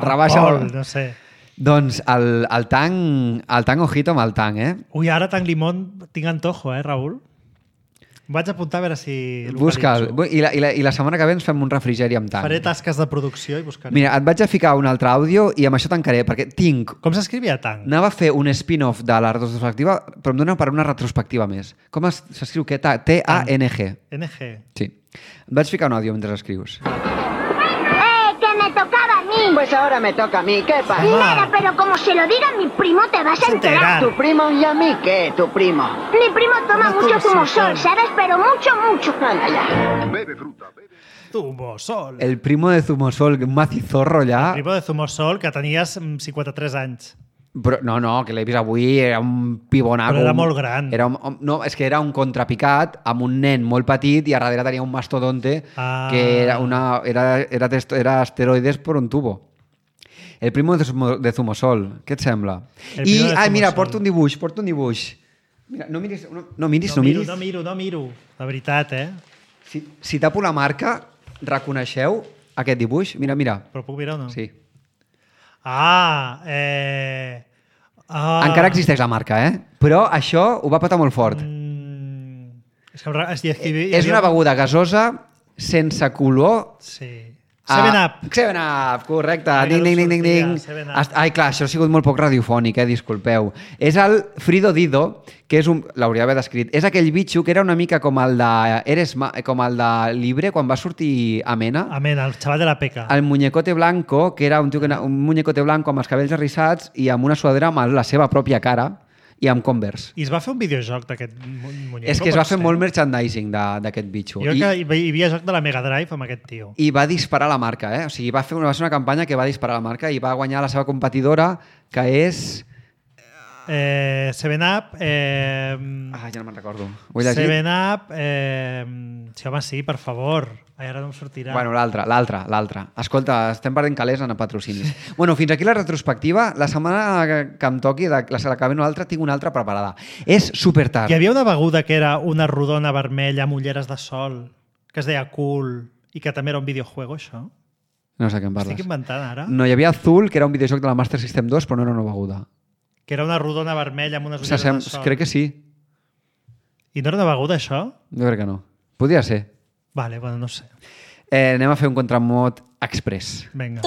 Rebaixa. No sé. Doncs el tang ojito amb el tang, Ui, ara tang limón tinc antojo, Raül? Em vaig apuntar a veure si... Busca'l. I la setmana que ve ens fem un refrigeri amb tang. Faré tasques de producció i buscaré. Mira, et vaig a ficar un altre àudio i amb això tancaré, perquè tinc... Com s'escrivia tang? Anava a fer un spin-off de la retrospectiva, però em dona per una retrospectiva més. Com s'escriu què? T-A-N-G. N-G. Sí. Et vaig ficar un àudio mentre escrius. Pues ahora me toca a mí, ¿qué pasa? Nada, pero como se lo diga a mi primo te vas a enterar. ¿Tu primo y a mí qué, tu primo? Mi primo toma mucho zumosol, ¿sabes? Pero mucho. Anda ya. Bebe fruta, bebe. Zumosol. El primo de Zumosol, un macizorro ja. El primo de Zumosol, que tenies 53 anys. Però, no, que l'he vist avui, era un pibonaco. Però era molt gran. No, és que era un contrapicat amb un nen molt petit i a darrere tenia un mastodonte que era esteroides per un tubo. El primo de Zumosol. Què et sembla? Mira, porto un dibuix. Mira, no miris. No miro. La veritat, Si tapo la marca, reconeixeu aquest dibuix? Mira. Però puc mirar o no? Sí. Encara existeix la marca, Però això ho va patar molt fort. És una beguda gasosa sense color. Sí. 7-Up. 7-Up, correcte. Ding. Ai, clar, això ha sigut molt poc radiofònic, disculpeu. És el Frido Dido, que és l'hauria d'haver descrit. És aquell bitxo que era una mica com el de Libre, quan va sortir Amena. Amena, el xaval de la peca. El muñecote blanco, que era un muñecote blanco amb els cabells arrissats i amb una suadera amb la seva pròpia cara i amb Converse. I es va fer un videojoc d'aquest muñeco? És que es va fer molt merchandising d'aquest bitxo. Jo crec que hi havia joc de la Mega Drive amb aquest tio. I va disparar la marca, O sigui, va ser una campanya que va disparar la marca i va guanyar la seva competidora, que és... 7-Up... ja no me'n recordo. 7-Up... Sí, home, sí, per favor. Ara no em sortirà. Bueno, l'altra. Escolta, estem perdent calés en patrocinis. Bueno, fins aquí la retrospectiva. La setmana que em toqui, la que ve una altra, tinc una altra preparada. És supertard. Hi havia una beguda que era una rodona vermella amb ulleres de sol, que es deia Cool, i que també era un videojuego, això. No sé què em parles. Estic inventant, ara. No, hi havia Azul, que era un videojoc de la Master System 2, però no era una beguda. Que era una rodona vermella amb unes ulleres de sol. Crec que sí. I no era una beguda, això? Jo crec que no. Podria ser. Vale, bueno, no sé. Anem a fer un contramot express. Vinga.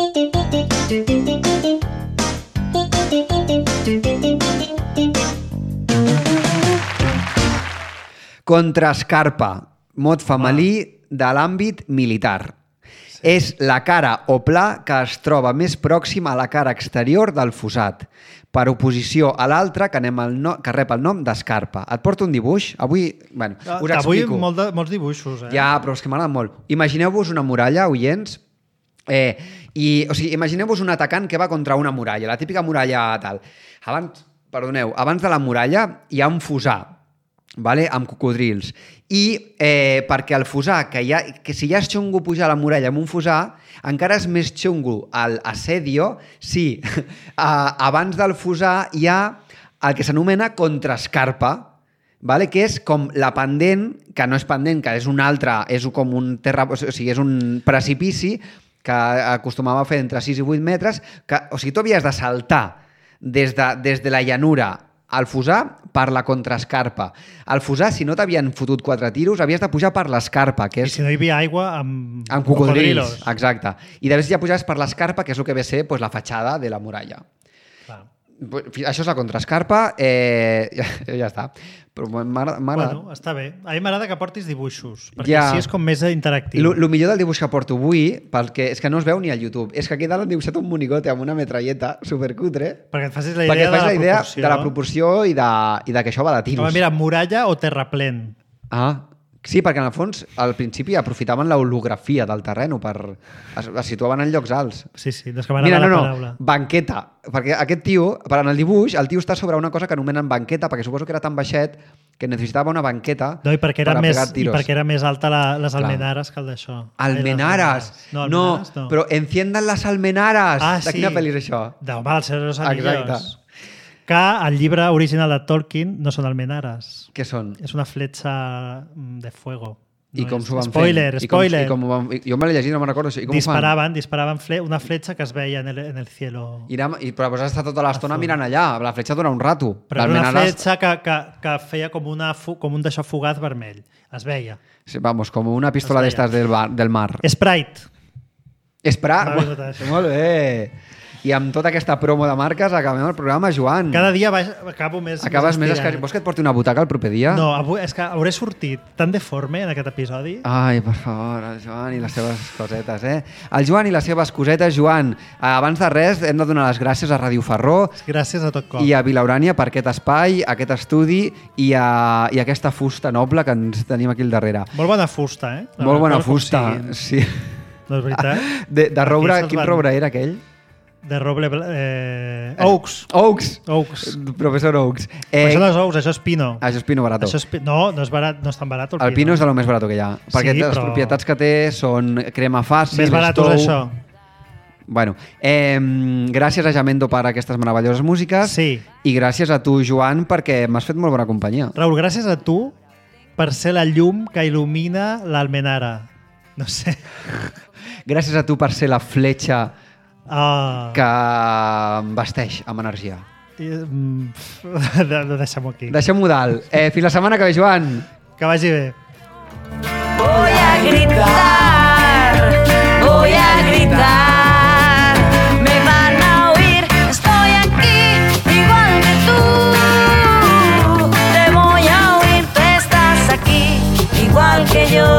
Contrascarpa, mot femení de l'àmbit militar. Sí. És la cara o pla que es troba més pròxima a la cara exterior del fossat, per oposició a l'altre que rep el nom d'escarpa. Et porto un dibuix. Avui, bueno, us explico. Avui molts dibuixos, Ja, però és que m'agrada molt. Imagineu-vos una muralla, oients, imagineu-vos un atacant que va contra una muralla, la típica muralla tal. Abans de la muralla hi ha un fossar, amb cocodrils. I perquè el fossar, que si ja és xungo pujar a la muralla amb un fossar, encara és més xungo l'assedio si abans del fossar hi ha el que s'anomena contrascarpa, que és com la pendent, que no és pendent, que és un altre, és com un és un precipici que acostumava a fer entre 6 i 8 metres, o sigui, tu havies de saltar des de la llanura al fossar per la contrascarpa. Al fossar, si no t'havien fotut 4 tiros, havies de pujar per l'escarpa. I si no hi havia aigua, amb cocodrils. Exacte. I després ja pujaves per l'escarpa, que és el que ve a ser la fatxada de la muralla. Clar. Això és la contrascarpa, ja està. Però m'agrada... Bueno, està bé. A mi m'agrada que portis dibuixos, perquè així és com més interactiu. El millor del dibuix que porto avui, és que no es veu ni al YouTube, és que aquí dalt han dibuixat un monigote amb una metralleta supercutre. Perquè et facis la idea de la proporció i de que això va de tiros. Home, mira, muralla o terraplén. Sí, perquè en el fons, al principi aprofitaven l'holografia del terreny es situaven en llocs alts. Sí, no és que m'agrada la paraula. Banqueta. Perquè aquest tio, en el dibuix, el tio està sobre una cosa que anomenen banqueta, perquè suposo que era tan baixet que necessitava una banqueta per pegar tiros. I perquè era més alta les almenares que el d'això. Almenares! No, però enciendan les almenares! De quina pel·li és això? Home, el Senyor de los Anillos. Que el llibre original de Tolkien no són almenares. Què són? És una fletxa de fuego. I com s'ho van fer? Spoiler! Jo me l'he llegit, no me'n recordo. Disparaven una fletxa que es veia en el cielo. Però vas estar tota l'estona mirant allà. La fletxa dura un rato. Però era una fletxa que feia com un d'això fugaz vermell. Es veia. Sí, com una pistola d'estes del mar. Sprite. Molt bé! I amb tota aquesta promo de marques acabem el programa, Joan. Cada dia acabo més escarit. Vols que et porti una butaca el proper dia? No, és que hauré sortit tan deforme en aquest episodi. Ai, per favor, el Joan i les seves cosetes, El Joan i les seves cosetes. Joan, abans de res hem de donar les gràcies a Ràdio Ferró. Gràcies a tot cop. I a Vilaurània per aquest espai, aquest estudi i aquesta fusta noble que ens tenim aquí al darrere. Molt bona fusta, Molt bona fusta, sí. No és veritat? De roure, quin roure era aquell? De roble... Oaks. Professor Oaks. Això no és Oaks, això és Pino. Això és Pino barato. No és barat, no és tan barat el Pino. El Pino és de lo més barat que hi ha. Perquè les propietats que té són crema fàcil, més barat és això. Bueno, gràcies a Jamendo per aquestes meravelloses músiques. Sí. I gràcies a tu, Joan, perquè m'has fet molt bona companyia. Raül, gràcies a tu per ser la llum que il·lumina l'Almenara. No sé. Gràcies a tu per ser la fletxa que em vesteix amb energia. Deixem-ho aquí. Deixem-ho dalt. Fins la setmana que ve, Joan. Que vagi bé. Voy a gritar, voy a gritar, me van a oír, estoy aquí, igual que tú, te voy a oír, tú estás aquí, igual que yo.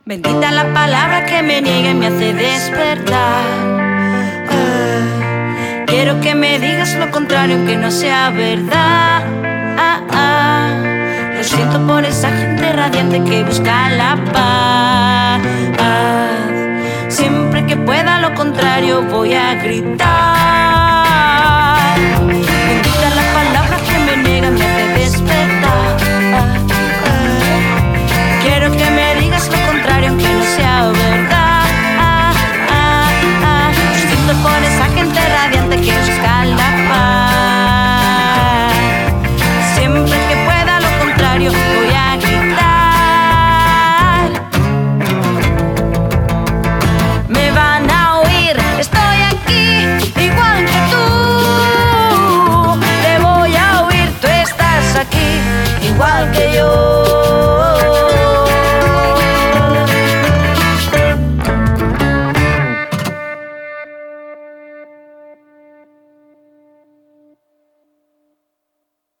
Bendita la palabra que me niega y me hace despertar. Quiero que me digas lo contrario, aunque no sea verdad. Lo siento por esa gente radiante que busca la paz. Siempre que pueda lo contrario voy a gritar.